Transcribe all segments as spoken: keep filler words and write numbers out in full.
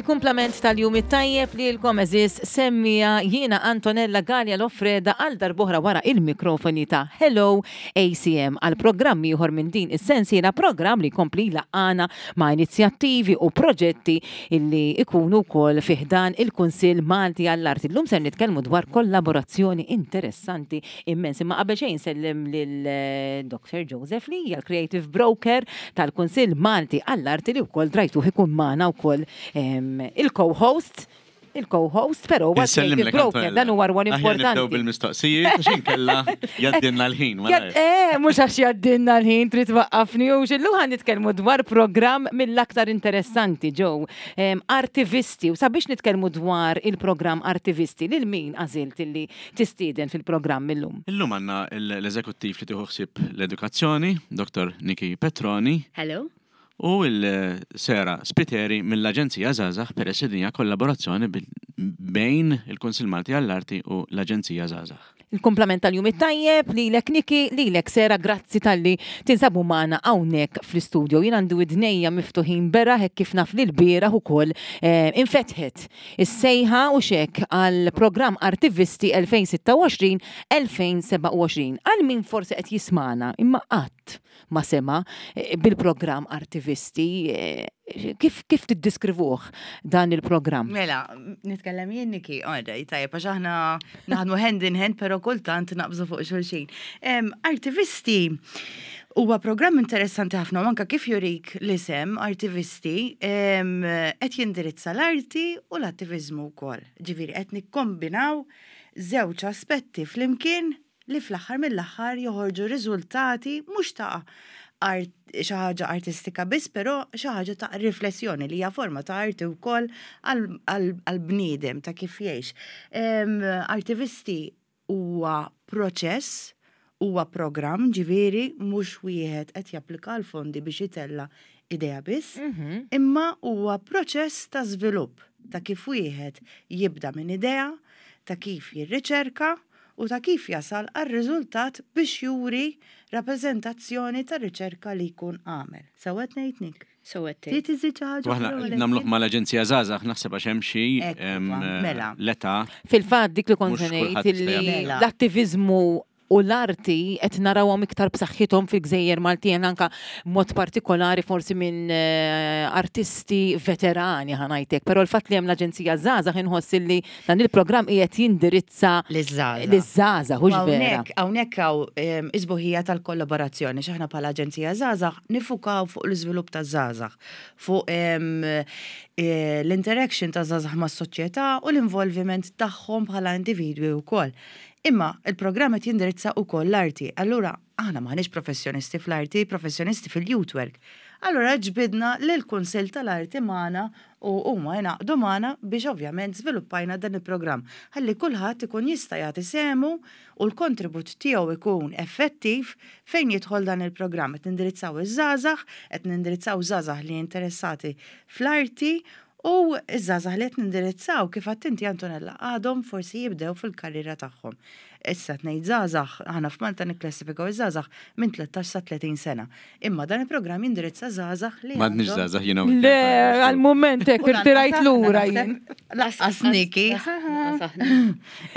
Il-kumplament tal-jum it-tajjeb lilkom, għeżież semmiegħa. Jiena Antonella Gallia Lofreda, għal darb'oħra wara il-mikrofoni ta' Hello A C M għal programm ieħor minn din is-sensiela, programm li jkompli jlaqqagħna ma' inizjattivi u proġetti illi ikunu wkoll fi ħdan il-Kunsill Malti għall-Arti. Illum ser nitkellmu dwar kollaborazzjoni interessanti immens. Imma qabel xejn sellem lil eh, Doctor Joseph Lee, l-Creative Broker tal-Kunsill Malti għall-Arti, li wkoll drajtuh ikun magħna wkoll em, il-co-host, il-co-host, però huwa Insellimlek, creative broker, Antonella. Dan huwa rwol Aħjar nibdew importanti. bil-mistoqsijiet, għax inkella jgħaddilna l-ħin. Jad- Eh, mhux għax jgħaddilna l-ħin trid twaqqafni u xillu. Ħa nitkellmu dwar programm mill-aktar interessanti ġew em, Artivisti, u sabiex nitkellmu dwar il-programm Artivisti, lil min għażilt illi tistieden fil-programm illum? Illum għandna l-eżekuttiv li tieħu ħsieb l-edukazzjoni, Doctor Niki Petroni, Hello. u l-Sera Spiteri mill-Aġenzija Żgħażagħ, peress li din hija kollaborazzjoni bil- bejn il-Kunsill Malti għall-Arti u l-Aġenzija Żgħażagħ. Il-kumplament tal-jum it-tajjeb lilek, Niki, lilek, Sera, grazzi talli tinsabu magħna hawnhekk fl-istudio. Jien għandi widnejja miftuħin beraħ hekk kif naf li l-bieraħ ukoll eh, infetħet is-sejħa u xek għal programm Artivisti elfejn u sitta u għoxrin elfejn u sebgħa u għoxrin. Għal min forsi qed jismana imma qatt ma sema eh, bil-programm Artivisti, eh, kif kif tiddiskrivuh dan il-programm? Mela, nitkellem jien, Niki, għada, tajjeb, għax aħna naħdmu hand in hand, pero kultant naqbżu fuq xulxin. Em, Artivisti huwa programm interessanti ħafna, u anka kif jurik l-isem Artivisti, em, qed jindirizza l-arti u l-attivizmu wkoll. Ġifieri qed nikkombinaw żewġ aspetti flimkien li fl-aħħar mill-aħħar joħorġu riżultati mhux ta' art, xi ħaġa artistika biss, però xi ħaġa ta' riflessjoni li hija forma ta' arti wkoll għal-bniedem ta' kif jgħix. Em, Artivisti huwa proċess, huwa programm, ġifieri mhux wieħed qed japplika l-fondi biex itella idea biss, imma huwa proċess ta' żvilupp ta' kif wieħed jibda minn idea, ta' kif jirriċerka u ta' kif jasal għal riżultat biex juri rappreżentazzjoni ta' riċerka li jkun għamel. Sewwa ngħid, Nik? So għetti. Trid iżid xi ħaġa U aħna oħra, Valentin? nagħmluh mal-Aġenzija Żgħażagħ, naħseb għax hemm xi Ekku, em, mela. l-età. Fil-fatt dik li kont Mhux se ngħid kulħadd jista' illi jagħmel. l-attivizmu u l-arti qed narawhom iktar b'saħħithom fil-Gżejjer Maltin, anka mod partikolari forsi minn eh, artisti veterani, ħa ngħidlek, però l-fatt li hemm l-Aġenzija Żgħażagħ, inħoss illi dan il-programm qiegħed jindirizza Liż-żgħażagħ. liż-żgħażagħ, hux vera? Hawnhekk hawnhekk hawn em, is-sbuħija tal-kollaborazzjoni, x'aħna bħala Aġenzija Żgħażagħ niffukaw fuq l-iżvilupp taż-żgħażagħ, fuq em, eh, l-interaction ta' żgħażagħ mas-soċjetà u l-involviment tagħhom bħala individwi wkoll. Imma il-programm qed jindirizza wkoll l-arti. Allura aħna m'aħniex professjonisti fl-arti, professjonisti fil-youth work. Allura ġbidna lill-Kunsill tal-Arti magħna u huma jingħaqdu magħna biex ovvjament żviluppajna dan il-programm. Ħalli kulħadd ikun jista' jagħti sehmu u l-kontribut tiegħu ikun effettiv fejn jidħol dan il-programm. Qed nindirizzaw iż-żgħażagħ, qed nindirizzaw żgħażagħ li interessati fl-arti u iż-żgħażagħ li qed nindirizzaw, kif għedt inti, Antonella, għadhom forsi jibdew fil-karriera tagħhom. Issa tnejn żgħażagħ, aħna f'Malta nikklassifikaw iż-żgħażagħ minn tlettax sa tletin sena. Imma dan il-programm jindirizza żgħażagħ li M'għadniex għandhom- żgħażagħ jiena. Le, għal-moment hekk irtirajt lura jien. Lanqas Niki.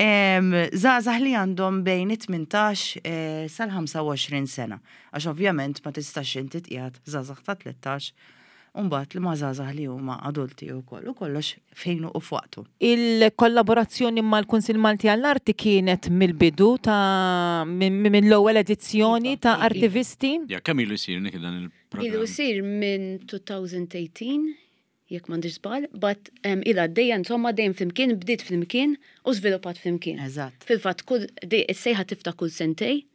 Em, Żgħażagħ li għandhom bejn it-tmintax eh, sal-ħamsa u għoxrin sena. Għax ovvjament ma tistax inti tqiegħed żgħażagħ ta' tlettax Umbat li ma żgħażagħ li huma adulti u koll, u kollox fejnu u f'waqtu. Il-kollaborazzjoni mal-Kunsill Malti għall-Arti kienet mill-bidu ta' minn minn l-ewwel edizzjoni ta' Iva, iva. Artivisti? Ja, kemm ilu jsir, Niki, dan il-programm? Ilu jsir minn elfejn u tmintax, jekk m'għandix żball, but um, ila dejja, insomma, dejjem flimkien, bdiet flimkien u żviluppat flimkien. Eżatt. Fil-fatt, kull is-sejħa tiftaħ kull sentejn,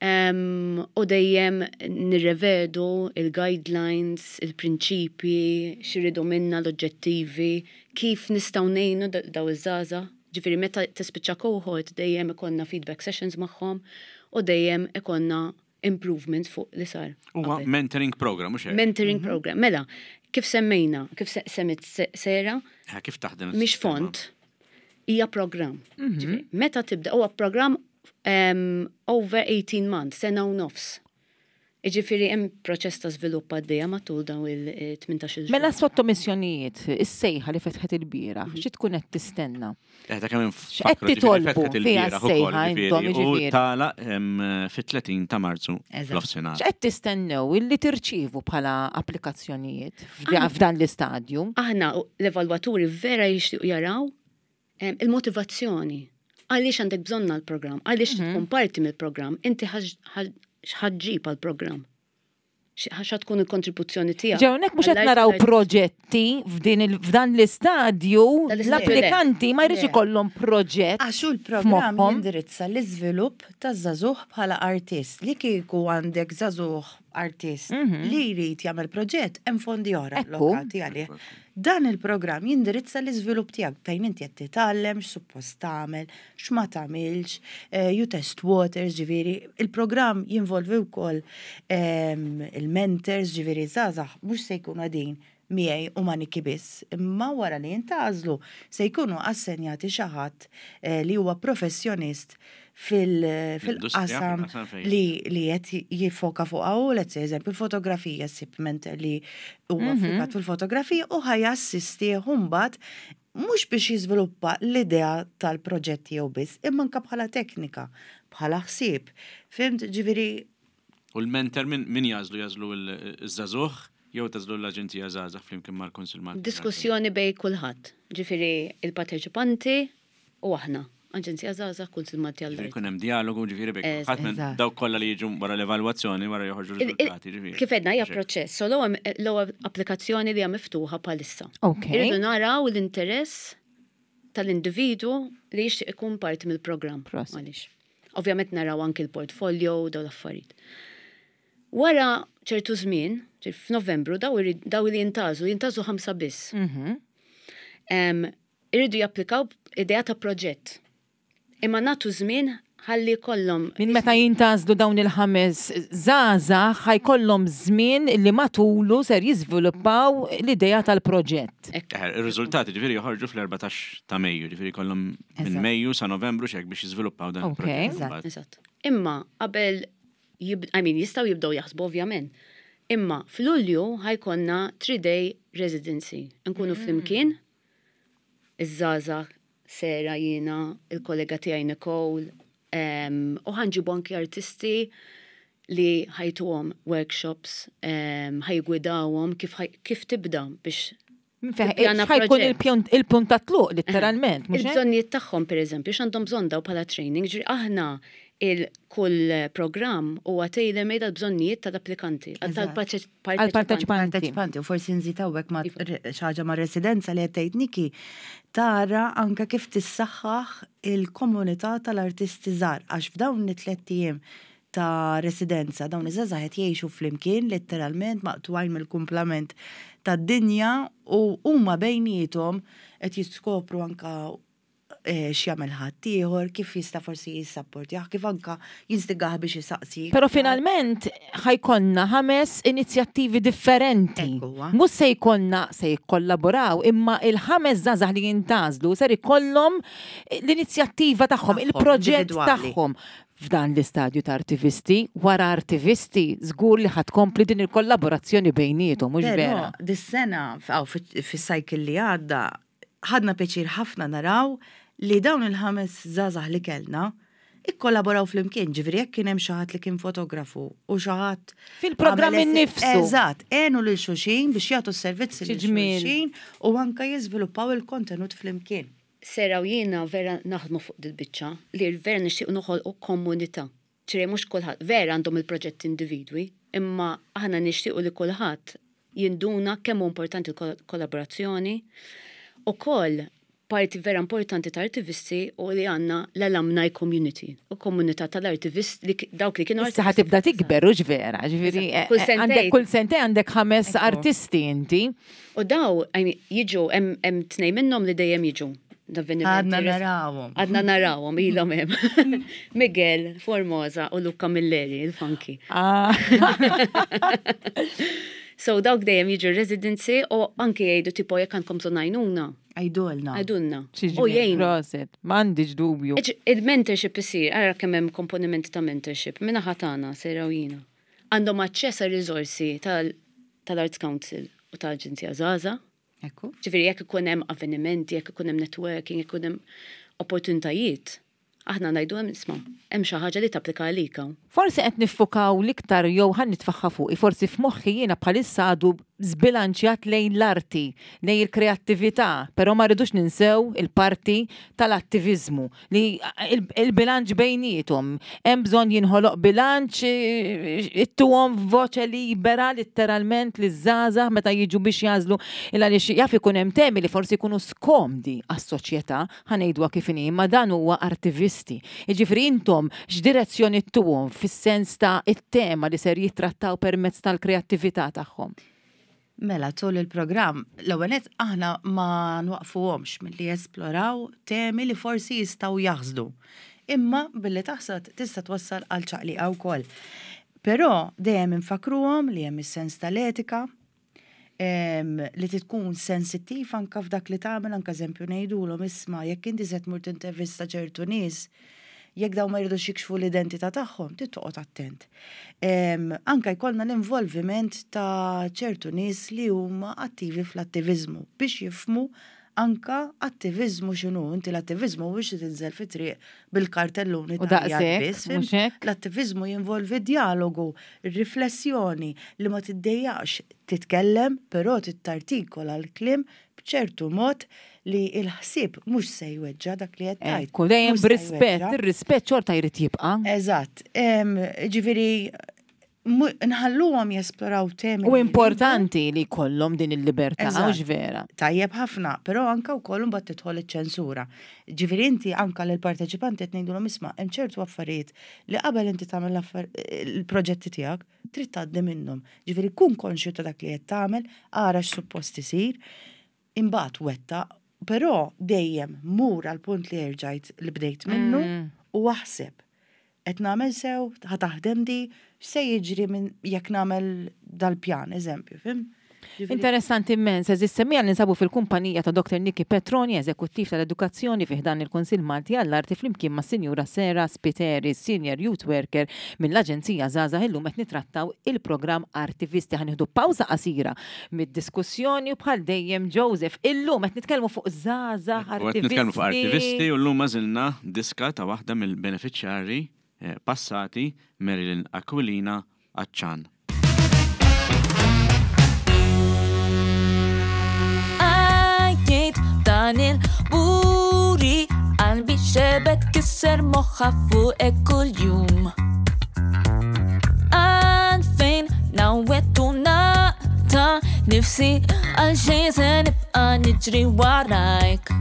um, u dejjem nirrevedu il-guidelines, il-prinċipi, x'iridu minna, l-oġġettivi, kif nistgħu ngħinu da- daw iż-żgħażagħ. Ġifieri meta tispiċċa cohort dejjem ikollna feedback sessions magħhom u dejjem ikollna improvements fuq li sar Huwa qabel. mentoring program, mhux hekk? Mentoring program. Mela, kif semmejna, kif se- semmit Se- Sera, Eh, Kif taħdem mhix is-sistema? font, hija program. Ġifieri, meta tibda, huwa program um, over eighteen months, sena u nofs. Iġifieri hemm proċess ta' żvilupp għaddejja matul dawn il-tmintax-il Mela xahar. Sottomissjonijiet, is-sejħa li fetħet il-bieraħ, xi tkun qed tistenna? Eh, ta' kemm X'qed titolbu fiha s-sejħa intom, U jiġifieri? tagħlaq em, fit-tletin ta' Marzu Eżatt. fl-offsinar. X'qed tistennew illi tirċievu bħala applikazzjonijiet f'da- f'dan l-istadju? Aħna l-evalwaturi vera jixtiequ jaraw em, il-motivazzjoni. Għaliex għandek bżonn għal-programm, għaliex tkun parti mill-programm, inti x'ħa ġġib għal-programm. X'ħa tkun il-kontribuzzjoni tiegħek. Ġewnek mhux qed naraw proġetti f'din il- f'dan l-istadju, Dan l-istadju, l-applikanti ma jridx Le. ikollhom proġett. Għax hu l-programm f'moħħhom. jindirizza l-iżvilupp taż-żagħżugħ bħala artist. Li kieku għandek żagħżugħ artist li jrid jagħmel proġett, hemm fondi oħra Ekku. allokati għalih. Dan il-programm jindirizza l-iżvilupp tiegħek fejn inti qed titgħallem x'suppost tagħmel, x'ma tagħmilx, eh, you test waters, ġifieri. Il-programm jinvolvi wkoll ehm, il-mentors, ġifieri żgħażagħ mhux se jkunu qegħdin miegħi u ma' Niki biss, imma wara li jintgħażlu se jkunu assenjati xi ħadd eh, li huwa professjonist fil- fil-qasam fil-qasam fejn. li li qed jiffoka fuq u let's say eżempju il-fotografija, ssib mentor li huwa ffokat fil-fotografija u ħa jassistih mbagħad mhux biex jiżviluppa l-idea tal-proġett tiegħu biss, imma anke bħala teknika, bħala ħsieb. Fhimt, ġifieri U l-mentor min min jagħżlu? Jagħżlu iż-żagħżugħ jew tagħżlu l-Aġenzija Żgħażagħ flimkien mal-Kunsill Malti? Diskussjoni bejn kulħadd. Ġifieri il-parteċipanti u aħna. Aġenzija Żgħażagħ, Kunsill Malti Ġifieri għall-Arti. jkun hemm dialogu, ġifieri bejn Eżatt. kulħadd minn Eżatt. dawk kollha li jiġu wara l-evalwazzjoni, wara joħorġu Il- il- riżultati, ġifieri. Kif għedna hija Xek. proċess, so l-ewwel l-ewwel applikazzjoni li hija miftuħa bħalissa. Ok. Irridu naraw l-interess tal-individu li jixtieq ikun parti mill-programm. Prosit. Għaliex. Ovvjament naraw anki l-portfolio u dawn l-affarijiet. Wara ċertu żmien, ġifieri f'Novembru, daw irid- daw li jintgħażlu, jintgħażlu ħamsa biss. Mhm. Em, Irridu japplikaw idea ta' proġett. Imma nagħtu żmien ħalli kollhom Minn meta jintgħażlu dawn il-ħames żgħażagħ ħa jkollhom żmien li matulu ser jiżviluppaw l-idea tal-proġett. Eh, Ir-riżultati ġifieri joħorġu fl-erbatax ta' Mejju, ġifieri kollhom minn Eżatt. Mejju sa Novembru xek biex jiżviluppaw dan Ok. il-proġett. Eżatt. Mbagħad. Eżatt. Imma qabel jib, I mean, jistgħu jibdew jaħsbu ovvjament. Imma f'Lulju ħa jkollna three-day residency. Nkunu flimkien, iż-żgħażagħ, Sera, jiena, il-kollega tiegħi Nicole, em, u ħa nġibu anki artisti li ħa jtuhom workshops, um, ħa jiggwidawhom kif, ħaj- kif tibda biex Tippjana Ħa jkun proġett. il-pjon- il-punt ta' tluq, letteralment, mhux hekk? Il-bżonnijiet tagħhom pereżempju, x'għandhom bżonn daw bħala training, ġifieri aħna il-kull programm huwa tailor-made għal-bżonnijiet tal-applikanti, Eżatt. għal-parteċipanti. Parteċipanti, u forsi nżid hawnhekk ma' xi ħaġa ma' residenza li qed tgħid Niki, tara anke kif tissaħħaħ il-komunità tal-artisti żgħar, għax f'dawn it-tliet ijiem ta' residenza, dawn iż-żgħażagħ qed jgħixu flimkien letteralment maqtugħin mill-kumplament tad-dinja u huma bejniethom qed jiskopru anka eh, x'jagħmel ħaddieħor, kif jista' forsi jissapportjah, kif anka jinstigah biex jisaqsi. Pero finalment ħa jkollna ħames inizjattivi differenti. Ekku huwa. Mhux se jkollna se jikkollaboraw, imma il-ħames żgħażagħ li jintgħażlu ser ikollhom l-inizjattiva tagħhom, Tagħhom, il-proġett individwali. tagħhom. F'dan l-istadju ta' artivisti, wara artivisti, żgur li ħa tkompli din il-kollaborazzjoni bejniethom, mhux Però vera. dis-sena aw fis-cycle li għadda ħadna pjaċir ħafna naraw li dawn il-ħames żgħażagħ li kellna ikkollaboraw flimkien, ġifieri jekk kien hemm xi ħadd li kien fotografu u xi ħadd Fil-programm għamel esi- innifsu. Eżatt, għenu lil xulxin biex jagħtu s-servizzi lil Xi ġmiel. xulxin u anka jiżviluppaw il-kontenut flimkien. Sera u jiena vera naħdmu fuq dil-biċċa li vera nixtieq noħolqu komunità. ċire mhux kulħadd vera għandhom il-proġett individwi, imma aħna nixtiequ li kulħadd jinduna kemm hu importanti l-kollaborazzjoni. Ukoll parti vera importanti ta' artivisti u li għandna l-alumni community u komunità tal-artivisti li dawk li kienu Issa ħa tibda tikber, u vera, ġifieri, Eżatt. Kull eh, sentejn. għandek kull sentejn għandek ħames Ekku. artisti inti. U daw, I mean, jiġu, hemm hemm tnejn minnhom li dejjem jiġu. L-avvenimenti. Għadna narawhom. Għadna narawhom, ilhom hemm. Miguel, Formosa u Luca Milleri, il-funky. Ah. So dawk dejjem jiġu residency u anki jgħidu tipo jekk għandkom bżonn għajnuna, Għidulna. għidulna. Xi U ġmiel, jgħinu. Prosit, m'għandix dubju. Iġ- Il-mentorship isir, ara kemm hemm komponimenti ta' mentorship, minna ħatana, sera u jiena. Għandhom aċċess għal riżorsi tal-Arts Council u tal-Aġenzija Żgħażagħ. Ekku. Ġifieri jekk ikun hemm avvenimenti, jekk ikun hemm networking, jekk ikun hemm opportunitajiet, aħna ngħidu hemm isma' hemm xi ħaġa li tapplika għalik hawn. Forsi qed niffukaw l-iktar jew ħa nitfagħha fuqi, forsi f'moħħi jiena bħalissa għadu żbilanċjat lejn l-arti, lejn il-kreattività, però ma rridux ninsew il-parti tal-attiviżmu li il-bilanċ bejniethom. Hemm bżonn jinħoloq bilanċ, ittuhom voċe libera letteralment li żgħażagħ meta jiġu biex jagħżlu il għaliex jaf ikun hemm temi li forsi jkunu skomdi għas-soċjetà, ħa ngħiduha kif inhi, imma dan huwa artivisti. Jiġifieri intom x'direzzjoni ttuhom fis-sens ta' it-tema li ser jittrattaw permezz tal-kreattività tagħhom? Mela, tul il-programm, l-ewwel nett aħna ma nwaqfuhomx milli jesploraw temi li forsi jistgħu jaħsdu. Imma billi taħsad tista' twassal għal ċaqliqa wkoll. Però dejjem infakruhom li hemm is-sens tal-etika, li tkun sensittiv anka f'dak li tagħmel, anka eżempju ngħidulhom isma' jekk inti se tmur tintervista ċertu nies, jekk daw ma jridux jikxfu l-identità tagħhom, trid toqgħod attent. Anka jkollna l-involviment ta' ċertu nies li huma attivi fl-attiviżmu biex jifhmu anka attiviżmu x'inhu. Inti l-attiviżmu mhux tinżel fit-triq bil-kartelluni U daqshekk, mhux hekk? L-attiviżmu jinvolvi dialogu, riflessjoni li ma tiddejjaqx titkellem, però tittartikola l-kliem b'ċertu mod li il-ħsieb mhux se jweġġa' dak li qed tgħid. Ekku, dejjem b'rispett, ir-rispett xorta jrid jibqa'. Eżatt. Ġifieri nħalluhom jesploraw temi. U importanti li jkollhom din il-libertà, mhux vera. Tajjeb ħafna, però anka wkoll imbagħad tidħol iċ-ċensura. Ġifieri inti anka lill-parteċipanti qed ngħidulhom isma' hemm ċertu affarijiet li qabel inti tagħmel il-proġetti tiegħek trid tgħaddi minnhom. Ġifieri kun konxju ta' dak li qed tagħmel, ara x'suppost isir, imbagħad wettaq, però dejjem mur għal punt li erġajt li bdejt minnu u aħseb. Qed nagħmel sew, ħa taħdem di, x'se jiġri minn jekk nagħmel dal-pjan, eżempju, fim? Interessanti immens, eżis semmija li nsabu fil-kumpanija ta' Doktor Niki Petroni, eżekuttiv tal-edukazzjoni fi ħdan il-Kunsill Malti għall-Arti flimkien ma' Sinjura Sera Spiteri, Senior Youth Worker mill-Aġenzija Żgħażagħ. Illum qed nitrattaw il-programm Artivisti. Ħa nieħdu pawża qasira mid-diskussjoni u bħal dejjem Joseph, illum qed nitkellmu fuq żgħażagħ U qed nitkellmu fuq artivisti. artivisti u llum għażilna diska ta' waħda mill-beneficjarji eh, passati, Marilyn Aquilina Aċċan. Għajjejt dan il-buri, qalbi xebet kisser moħħa fuqek kuljum. Għalfejn nawet u naqta nifsi għal xejn se nibqa' niġri warajk.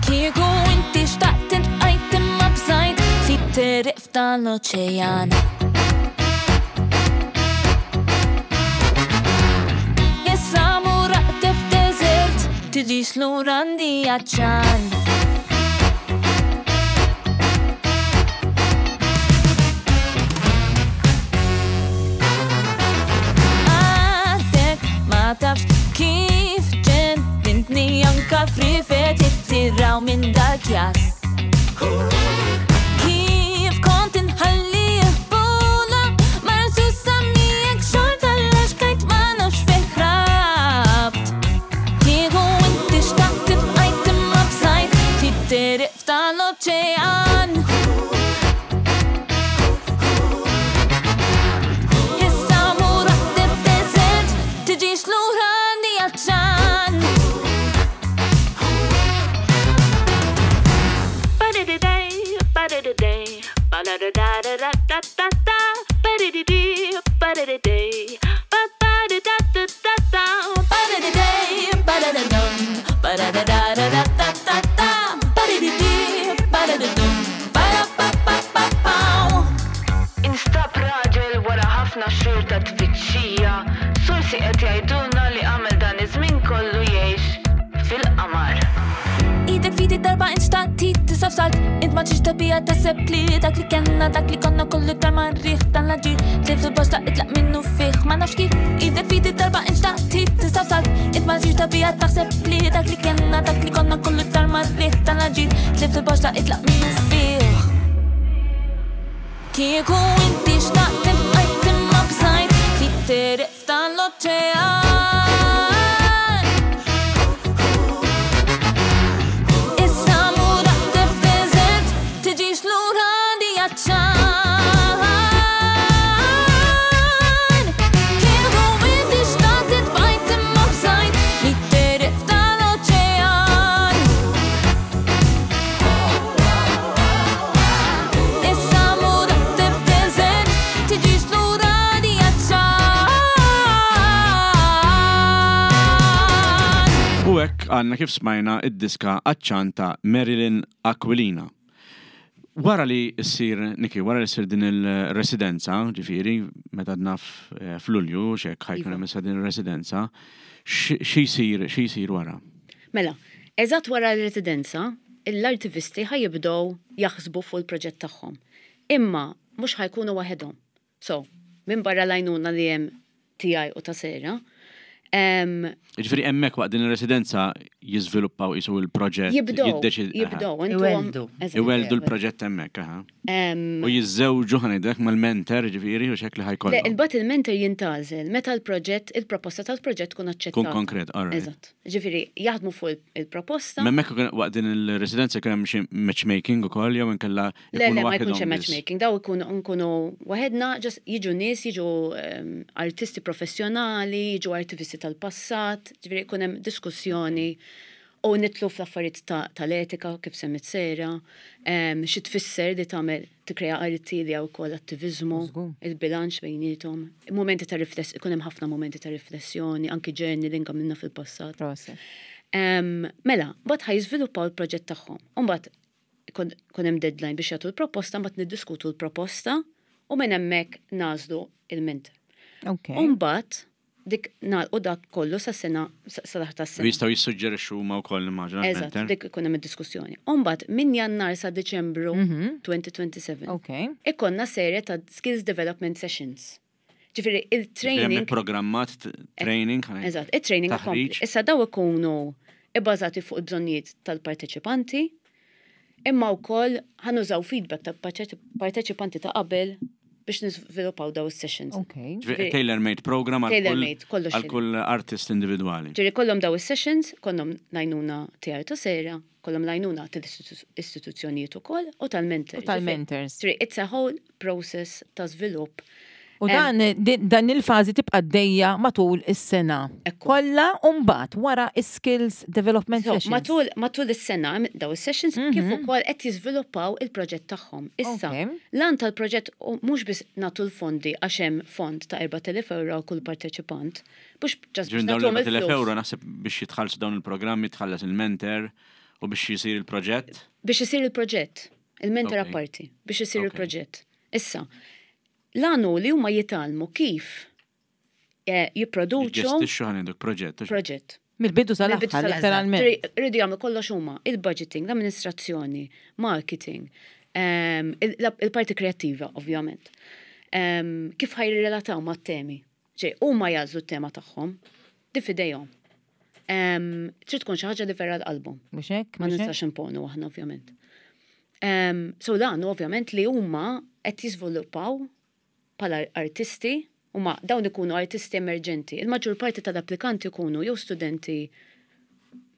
Kieku inti xtaqt intqajt imma bżajt si triq f'dan l-oċean. Issa muraqt f'deżert tiġix lura għandi għaċċan. Għadek ma tafx kif ġennintni anka frifet ittiraw minn dak jas. Kif kont inħalli ħbula marzu samijek xorta l-axkajt ma nafx fejn ħrabt. Kieku inti xtaqt tibqajt imma bżajt titteriq f'dan l-oċean. Issa muraqt f'deżert tiġix lura għandi għaċċan. Ba-da-da-day, ba-da-da-day, ba-da-da-da-da-da-da-da, ba-da-di-di, ba-da-da-day, ba-ba-da-da-da-da-da, Ba-da-da-day, ba-da-da-dum, ba-da-da-da-da-da-da-da, ba-da-di-di, ba-da-da-dum, ba-da-ba-ba-ba-bow. Instab raġel wara ħafna xhur ta' tfittxija, sorsi qed jgħidulna li għamel dan iż-żmien kollu jgħix fil-qamar. Idek fidi darba inxtaqti tisaf salt, int ma ġiġ tabija taħseb li dak li kellna, dak li konna kollu darma rriħ dan l-aġir, tlif il-bosta itlaq minnu fih, ma nafx kif. Idek fidi darba inxtaqti tisaf salt, int ma ġiġ tabija taħseb li dak li kellna, dak li konna kollu darma rriħ dan l-aġir, tlif il-bosta itlaq minnu fih. Kieku inti xtaqt intqajt hekk għandna kif smajna id-diska Għatxan ta' Marilyn Aquilina. Wara li ssir, Niki, wara li ssir din il-residenza, ġifieri, meta naf eh, f'Lulju, xek ħa jkun Iva. hemm issa din il-residenza, xi jsir, xi jsir wara? Mela, eżatt wara l-residenza, l-artivisti ħa jibdew jaħsbu fuq il-proġett tagħhom. Imma mhux ħa jkunu waħedhom. So, minn barra l-għajnuna li hemm tiegħi u ta' Sera, em, Ġifieri hemmhekk waqt din il-residenza jiżviluppaw isu il-proġett. jibdew, jiddeċid- aha. jibdew, intuhom- Iweldu. Eżatt. Iweldu l-proġett hemmhekk, aha. Em, U jiżżewġu ħa ngħidlek mal-mentor, ġifieri, u xek li Le, ħa jkollhom. il-bat il-mentor jintgħażel meta l-proġett, il-proposta tal-proġett tkun aċċettata. Kun konkret, all right. Eżatt. Ġifieri, jaħdmu fuq il- il-proposta. Hemmhekk waqt din il-residenza kien hemm xi matchmaking ukoll jew inkella Le, ikunu le, ma jkunx waħedhom hemm biss. matchmaking, daw ikunu nkunu waħedna, just jiġu nies, jiġu um, artisti professjonali, jiġu artisti tal-passat, ġifieri jkun hemm diskussjoni u nidħlu fl-affarijiet ta- tal-etika kif semmit Sera, um, xi tfisser li tagħmel tikkrea arti li hawn ukoll attiviżmu, il-bilanċ bejniethom, momenti ta' rifless, ikun hemm ħafna momenti ta' riflessjoni, anki journaling għamilna fil-passat. Proset. Um, mela, mbagħad ħa jiżviluppaw il-proġett tagħhom. U mbagħad ikun ikun hemm deadline biex jagħtu l-proposta, mbagħad niddiskutu l-proposta u minn hemmhekk nagħżlu il-mentor. Ok. U mbagħad dik nagħlqu dak kollu sa sena sa sa ta' U sena. jistgħu jissuġġerixxu huma wkoll immaġina Eżatt, l-mentor. dik ikun hemm id-diskussjoni. U mbagħad minn Jannar sa Deċembru elfejn u sbatax Ok. ikollna serje ta' skills development sessions. Ġifieri il-training Hemm programmat t- training. ħa ngħid. Eżatt, il-training Taħriġ. ikompli. Issa daw ikunu ibbażati fuq il-bżonnijiet tal-parteċipanti, imma wkoll ħa nużaw feedback tal-parteċipanti ta' qabel biex niżviluppaw daw is-sessions. Ok. Ġifieri Tailor-made program għal kull- Tailor-made, kollox għal kull artist individwali. Ġifieri kollhom daw is-sessions, kollhom l-għajnuna tiegħi ta' Sera, kollhom l-għajnuna tal-istituzzjonijiet ukoll u tal-mentors. U tal-mentors. Ġifieri it's a whole process ta' żvilupp. U dan, din- dan il-fażi tibqa' għaddejja matul is-sena. Ekku. Kollha u mbagħad wara skills development So, sessions. matul, matul is-sena daw is-sessions kif ukoll qed jiżviluppaw il-proġett tagħhom. Issa, Ok. l-għan tal-proġett u mhux biss nagħtu l-fondi għax hemm fond ta' erbat elef euro kull parteċipant, mhux just biex Ġifieri dawn nagħtuhom l-erbat elef il-flus. euro naħseb biex jitħallsu dawn il-programmi, tħallas il-mentor u biex jisir il-proġett. Biex isir il-proġett, il-mentor Ok. apparti, biex isir Ok. il-proġett. Issa, l-għan hu li huma jitgħallmu kif eh, jipproduċu Jġestixxu ħa ngħiduk proġett. proġett. Mill-bidu Mill-bidu sal-aħħar, sal-aħħar. letteralment. Ġifieri, Rridu jagħmlu kollox huma, il-budgeting, l-amministrazzjoni, marketing, ehm, il- la- il-parti kreattiva, ovvjament. Ehm, Kif ħa jirrelataw ma' temi? Ġej, huma jagħżlu t-tema tagħhom, di f'idejhom. Ehm, Trid tkun xi ħaġa li vera l-qalbhom. Mhux hekk? Ma Mhux hekk? nistax imponu aħna ovvjament. Um, so dan ovvjament li huma qed jiżviluppaw bħala artisti, huma dawn ikunu artisti emerġenti. Il-maġġur parti tal-applikanti ikunu jew studenti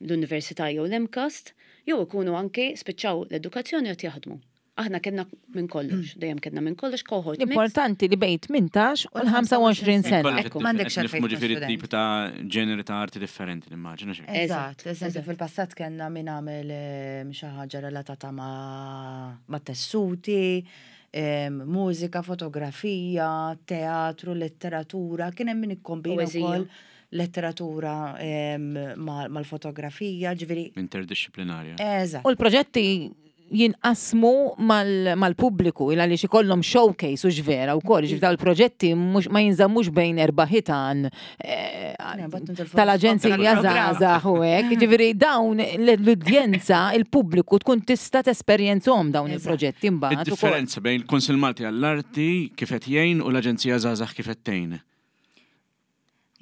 l-università jew l-MCAST, jew ikunu anke spiċċaw l-edukazzjoni qed jaħdmu. Aħna kellna minn kollox, dejjem kellna minn kollox cohort mix. L-importanti li bejn tmintax u l-ħamsa u għoxrin sena. Kollox Ekku. qed M'għandekx nifhmu għalfejn tkun ġifieri student. tip ta' ġeneri ta' arti differenti, nimmaġina xi. Eżatt, eżempju fil-passat kellna min għamel em, xi ħaġa relatata ma' ma' tessuti, em, mużika, fotografija, teatru, letteratura, kien hemm min ikkombina Poeżija. wkoll letteratura em, ma- mal-fotografija, ġifieri. Interdisciplinarja. Eżatt. U l-proġetti jinqasmu mal- mal-pubbliku il għaliex ikollhom showcase u ġvera u koll, ġifieri daw il-proġetti mhux- ma jinżammux bejn erba' ħitan eh, mbagħad nintilfu tal-aġenzija tal-programm. żgħażagħ u hekk. Ġifieri dawn l-udjenza, il-pubbliku tkun tista' tesperjenzhom dawn il-proġetti mbagħad ukoll. Id-differenza bejn il-Kunsill Malti għall-Arti kif qed jgħin u l-Aġenzija Żgħażagħ kif qed tgħin.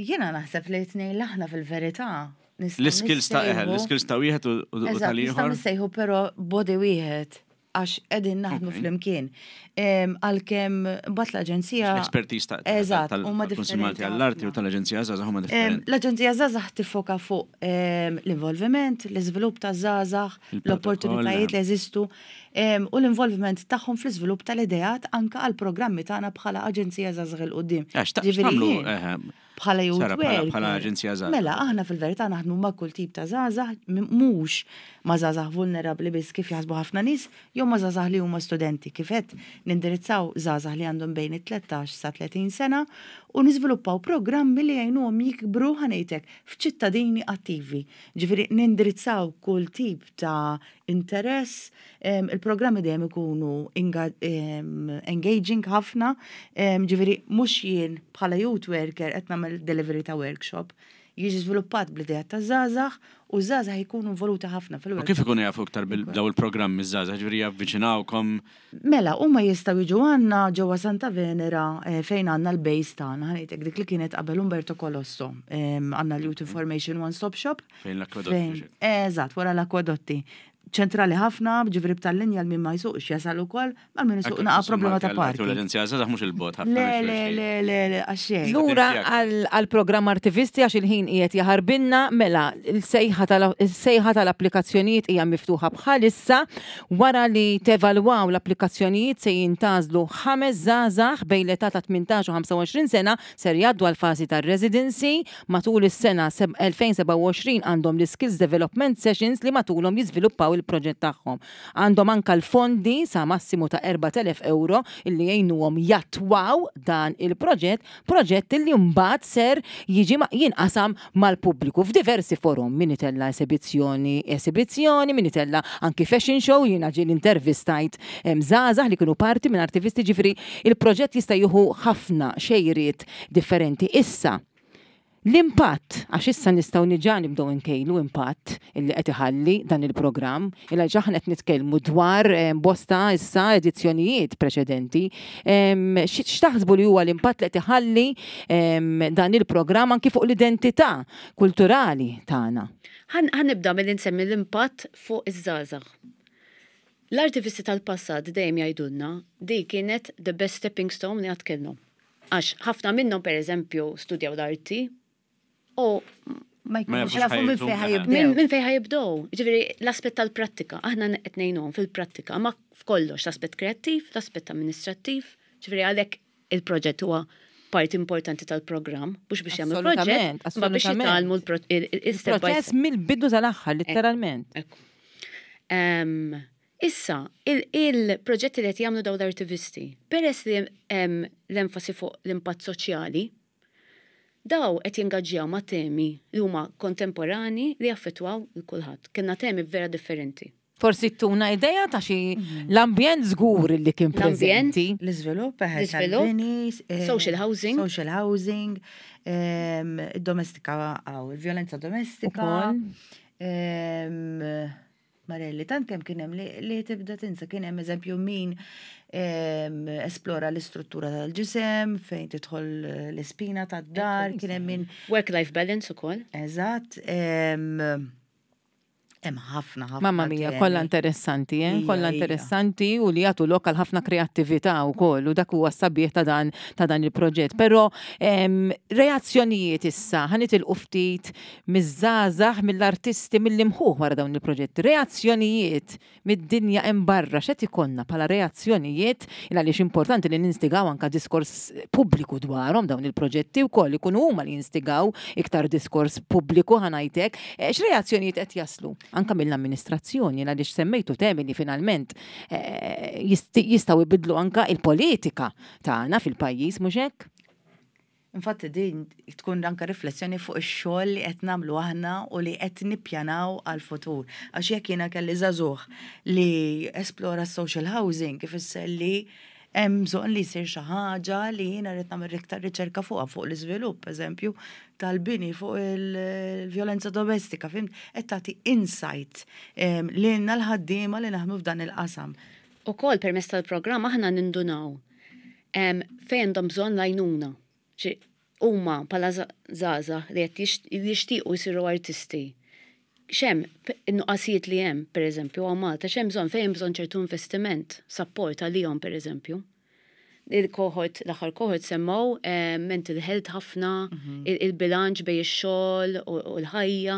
Jiena naħseb li t-tnejn aħna fil-verità. nistgħu L-skills ta' eħel, nissejħu- l-skills ta' wieħed u u Eżatt, nistgħu tal-ieħor. nissejħu però body wieħed għax qegħdin naħdmu Ok. flimkien. Em, Għalkemm mbagħad l-aġenzija. L-expertise ta' Eżatt, huma tal-Kunsill Malti differenti għall-Arti u ħafna. tal-Aġenzija Żgħażagħ huma Em, differenti. L-Aġenzija Żgħażagħ tiffoka fuq em, l-involviment, l-iżvilupp ta' żgħażagħ, Il-protokoll, l-opportunitajiet li jeżistu em, u l-involviment tagħhom fl-iżvilupp tal-ideat anka għal programmi tagħna bħala Aġenzija Żgħażagħ 'il quddiem. Għax ta' Ġifieri x'tagħmlu jien- eħe, Bħala youth Sara, bħala- worker. bħala aġenzija żgħażagħ. Mela, aħna fil-verità naħdmu ma' kull tip ta' żgħażagħ, m- mhux ma' żgħażagħ vulnerabbli biss kif jaħsbu ħafna nies, jew ma' żgħażagħ li huma studenti. Kif qed nindirizzaw żgħażagħ li għandhom bejn it-tlettax sa tletin sena u niżviluppaw programmi li jgħinuhom jikbru, ħa ngħidlek, f'ċittadini attivi. Ġifieri nindirizzaw kull tip ta' interess, em, il-programmi dejjem ikunu inga- em, engaging ħafna, em, ġifieri mhux jien bħala youth worker qed nagħmel delivery ta' workshop, jiġi żviluppat bl-idea ta' żgħażagħ u żgħażagħ jkunu involuti ħafna U fil-workshop. kif ikunu jafu iktar bil-daw il-programmi żgħażagħ, ġifieri javviċinawkom? Mela, huma jistgħu jiġu għandna ġewwa Santa Venera eh, fejn għandna l-base tagħna, ħa ngħidlek, dik li kienet qabel Umberto Colosso. Em, Għandna l-Youth Information One Stop Shop. Fejn l-akwadotti, Fejn- Eżatt, wara l-akwadotti. Ċentrali ħafna, ġifieri b'tal-linja l min ma jsuqx jasal ukoll, mal min isuq naqa problema ta' parti. L-Aġenzija Żgħażagħ mhux il-bot ħafna. Le, le, le, le, le, għaxej. Lura Tiegħek. għal programm Artivisti, għax il-ħin qiegħed jaħarbinna, mela il-sejħa tal- il-sejħa tal-applikazzjonijiet hija miftuħa bħalissa. Wara li tevalwaw l-applikazzjonijiet se jintgħażlu ħames żgħażagħ bejn l-età ta' tmintax u ħamsa u għoxrin sena ser jgħaddu għal fażi tar-residency matul is-sena seb- elfejn u sebgħa u għoxrin. Għandhom l-Skills Development Sessions li matulhom jiżviluppaw il-proġett tagħhom. Għandhom anka l-fondi sa massimu ta' erbat elef euro illi jgħinuhom jattwaw dan il-proġett, proġett illi mbagħad ser jiġi ma- jinqasam mal-pubbliku f'diversi forum, min itella esibizzjoni, esibizzjoni, min itella anki fashion show, jiena ġieli intervistajt em, żgħażagħ li kienu parti minn Artivisti, ġifieri il-proġett jista' jieħu ħafna xejriet differenti. Issa, l-impatt, għax issa nistgħu diġà nibdew nkejlu impatt illi qed iħalli dan il-programm, illa aħna qed nitkellmu dwar eh, bosta issa edizzjonijiet preċedenti. Em, xi- X'taħsbu li huwa l-impatt li qed iħalli em, dan il-programm anki fuq l-identità kulturali tagħna? Ħa nibda mill nsemmi l-impatt fuq iż-żgħażagħ. L-artivisti tal-passat dejjem jgħidulna di kienet the best stepping stone li qatt kellhom. Għax ħafna minnhom, per eżempju, studjaw l-arti u Ma Ma jkunux jafux jafu minn ħajjithom, fejn eh. ħa jibdew. Minn min fejn ħa jibdew. Ġifieri l-aspett tal-prattika, aħna qed ngħinuhom fil-prattika, ma f'kollox, l-aspett kreattiv, l-aspett amministrattiv, ġifieri għalhekk il-proġett huwa parti importanti tal-programm, mhux biex jagħmlu Assolutament, proġett, ma biex assolutament. jitgħallmu l-step by Proċess mill-bidu tal-aħħar, literalment. Ekku. Em, Issa, il- il-proġetti li qed jagħmlu dawn l-artivisti, peress li hemm l-enfasi fuq l-impatt soċjali, daw qed jingaġġjaw ma' temi li huma kontemporani li jaffettwaw lil kulħadd. Kellna temi vera differenti. Forsi tuna idea ta' xi l-ambjent żgur li kien L-ambjent, preżenti. L-iżvilupp, eħe, L-iżvilupp, tal-bini, eh, social housing. Social housing, em, domestika, għaw, il-violenza domestika. Ukoll. em, Marelli, tant kemm kien hemm li, li tibda tinsa, kien hemm eżempju min em, esplora l-istruttura tal-ġisem, fejn tidħol l-ispina tad-dar, kien hemm min Work-life balance ukoll. Eżatt, em, hemm ħafna ħafna. Mamma mia, temi. kollha interessanti, eh? Ija, Kollha ija. interessanti u li jagħtu lokal ħafna kreattività wkoll u dak huwa s-sabiħ ta' dan ta' dan il-proġett. Però em, reazzjonijiet issa, ħa nitilqu ftit miż-żgħażagħ, mill-artisti, mill-imħuħ wara dawn il-proġetti. Reazzjonijiet mid-dinja hemm barra, x'qed ikollna bħala reazzjonijiet, il għaliex importanti li ninstigaw anka diskors pubbliku dwarhom dawn il-proġetti wkoll, ikunu huma li jinstigaw iktar diskors pubbliku, ħa ngħidlek. Eh, X'reazzjonijiet qed jaslu anka mill-amministrazzjoni, għaliex semmejtu temi li finalment eh, jisti- jistgħu jbidlu anka il-politika tagħna fil-pajjiż, mhux hekk? Infatti din tkun anka riflessjoni fuq ix-xogħol li qed nagħmlu aħna u li qed nippjanaw għal-futur. Għax jekk jiena kelli żagħżugħ li esplora social housing, ifisser li hemm bżonn li jsir xi ħaġa li jiena rrid nagħmel iktar riċerka fuqha, fuq l-iżvilupp, eżempju, tal-bini, fuq il-vjolenza domestika, fhimt, qed tagħti insight em, lilna l-ħaddiema li naħdmu f'dan il-qasam. Ukoll permezz tal-programm aħna nindunaw em, fejn għandhom bżonn l-għajnuna. Ċi, huma bħala żgħażagħ li qed jix- jixtiequ jsiru artisti. X'hemm in-nuqqasijiet li hemm, per eżempju, hawn Malta, x'hemm bżonn, fejn hemm bżonn ċertu investiment, support għalihom, per eżempju. Il-cohort, l-aħħar cohort semmow eh, mental health ħafna, il- il-bilanċ bejn ix-xogħol u u l-ħajja.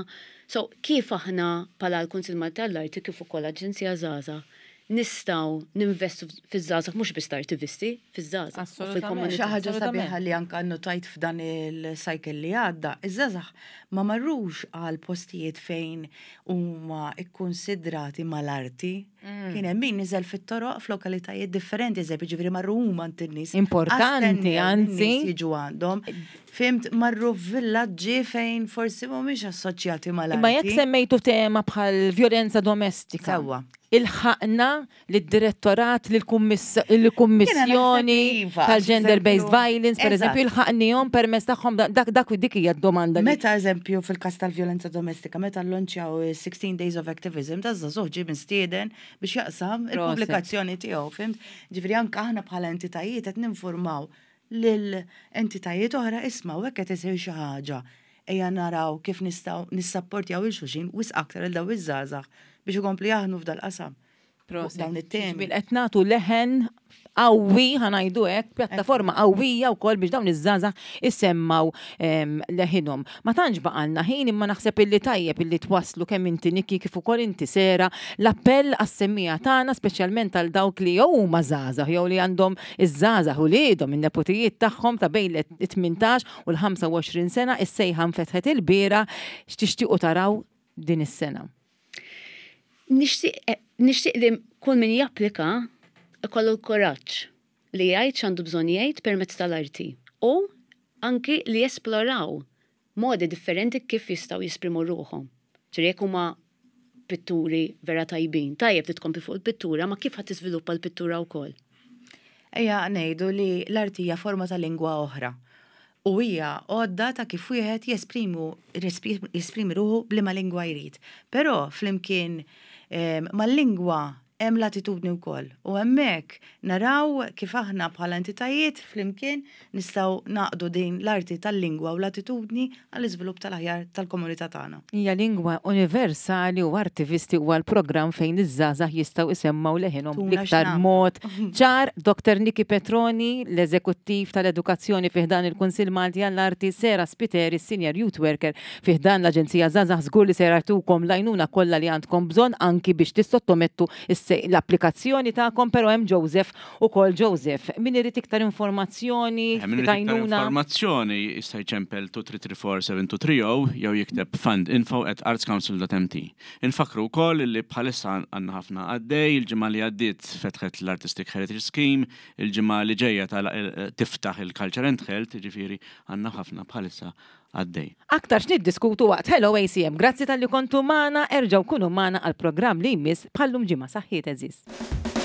So, kif aħna bħala l-Kunsil Malti għall-Arti kif ukoll Aġenzija Żgħażagħ Nistgħu ninvestu fiż-żgħażagħ, mhux biss artivisti, fiż-żgħażagħ u Assolutament. fil-komunità. Xi ħaġa Assolutament. sabiħa li anka notajt f'dan il-cycle li għadda, iż-żgħażagħ ma marrux għal postijiet fejn huma ikkonsidrati mal-arti. Mm. Kien hemm min niżel fit-toroq f'lokalitajiet differenti, eżempju, ġifieri marru huma għand in-nies. Importanti, Astennew anzi. in-nies jiġu għandhom. Fhimt, marru f'villaġġi fejn forsi mhumiex assoċjati mal-arti. Imma jekk semmejtu tema bħal violenza domestika. Sewwa. Ilħaqna lid-direttorat, lill-kummissjoni iva, tal-gender-based eżempju, violence, per eżempju, eżatt. ilħaqnihom permezz tagħhom dak dak dik hija d-domanda. li- Meta eżempju fil-kas tal-violenza domestika, meta llonċjaw sixteen Days of Activism, ta' żagħżugħ ġie mistieden biex jaqsam il-pubblikazzjoni tiegħu, fhimt? Ġifieri anke aħna bħala entitajiet qed ninformaw lil entitajiet oħra, isma', hekk qed isir xi ħaġa. Ejja naraw kif nistgħu nissapportjaw lil xulxin wisq aktar il daw iż-żgħażagħ biex ikompli jaħdmu f'dal-qasam. Prosit. Dawn it-temi. Ġifieri qed nagħtu leħen qawwi, ħa ngħidu hekk, pjattaforma qawwija wkoll biex dawn iż-żgħażagħ isemmgħu em, leħinhom. Ma tantx baqalna ħin, imma naħseb illi tajjeb illi twaslu kemm inti, Nikki, kif ukoll inti, Sera, l-appell għas-semmiegħa tagħna, speċjalment għal dawk li jew huma żgħażagħ jew li għandhom iż-żgħażagħ u uliedhom, in-neputijiet tagħhom ta' bejn it-tmintax u l-ħamsa u għoxrin sena, is-sejħa nfetħet il-bieraħ, x'tixtiequ taraw din is-sena? Nixtieq eh, nixtieq li kull min japplika ikollu l-kuraġġ li jgħid x'għandu bżonn jgħid permezz tal-arti u anki li jesploraw modi differenti kif jistgħu jesprimu ruħhom. Ġifieri jekk huma pitturi vera tajbin, tajjeb li tkompli fuq il-pittura, ma kif ħadd tiżviluppa l-pittura wkoll. Ejja ngħidu li l-arti hija forma ta' lingwa oħra. U hija għodda ta' kif wieħed jesprimu jesprimi ruħu b'liema lingwa jrid. Però flimkien em, mal-lingwa hemm l-attitudni wkoll. U hemmhekk naraw kif aħna bħala entitajiet flimkien nistgħu naqdu din l-arti tal-lingwa u l-attitudni għall-iżvilupp tal-aħjar tal-komunità tagħna. Hija lingwa universali u artivisti huwa l-programm fejn iż-żgħażagħ jistgħu isemmgħu leħinhom Tuna bl-iktar x'nagħmlu. mod ċar. Doktor Niki Petroni, l-eżekuttiv tal-edukazzjoni fi ħdan il-Kunsill Malti għall-Arti, Sera Spiteri, Senior Youth Worker fi ħdan l-Aġenzija Żgħażagħ, żgur li se jtukom l-għajnuna kollha li għandkom bżonn anki biex tissottomettu is- l-applikazzjoni tagħkom, però hemm Joseph ukoll. Joseph, min irid iktar informazzjoni, Eh, min irid iktar għajnuna. informazzjoni jista' jċempel tnejn tliet tliet erba' seba' tnejn tliet zero jew jikteb fundinfo at artscouncil dot M T. Infakru wkoll li bħalissa għandna ħafna għaddej, il-ġimgħa li għaddiet fetħet l-Artistic Heritage Scheme, il-ġimgħa li ġejja tal- eh, tiftaħ il-Culture and Health, ġifieri għandna ħafna bħalissa għaddej. Aktar x'niddiskutu waqt Hello A C M. Grazzi talli kontu magħna, erġgħu kunu magħna għal programm li jmiss bħallum ġimgħa. Saħħiet, għeżież.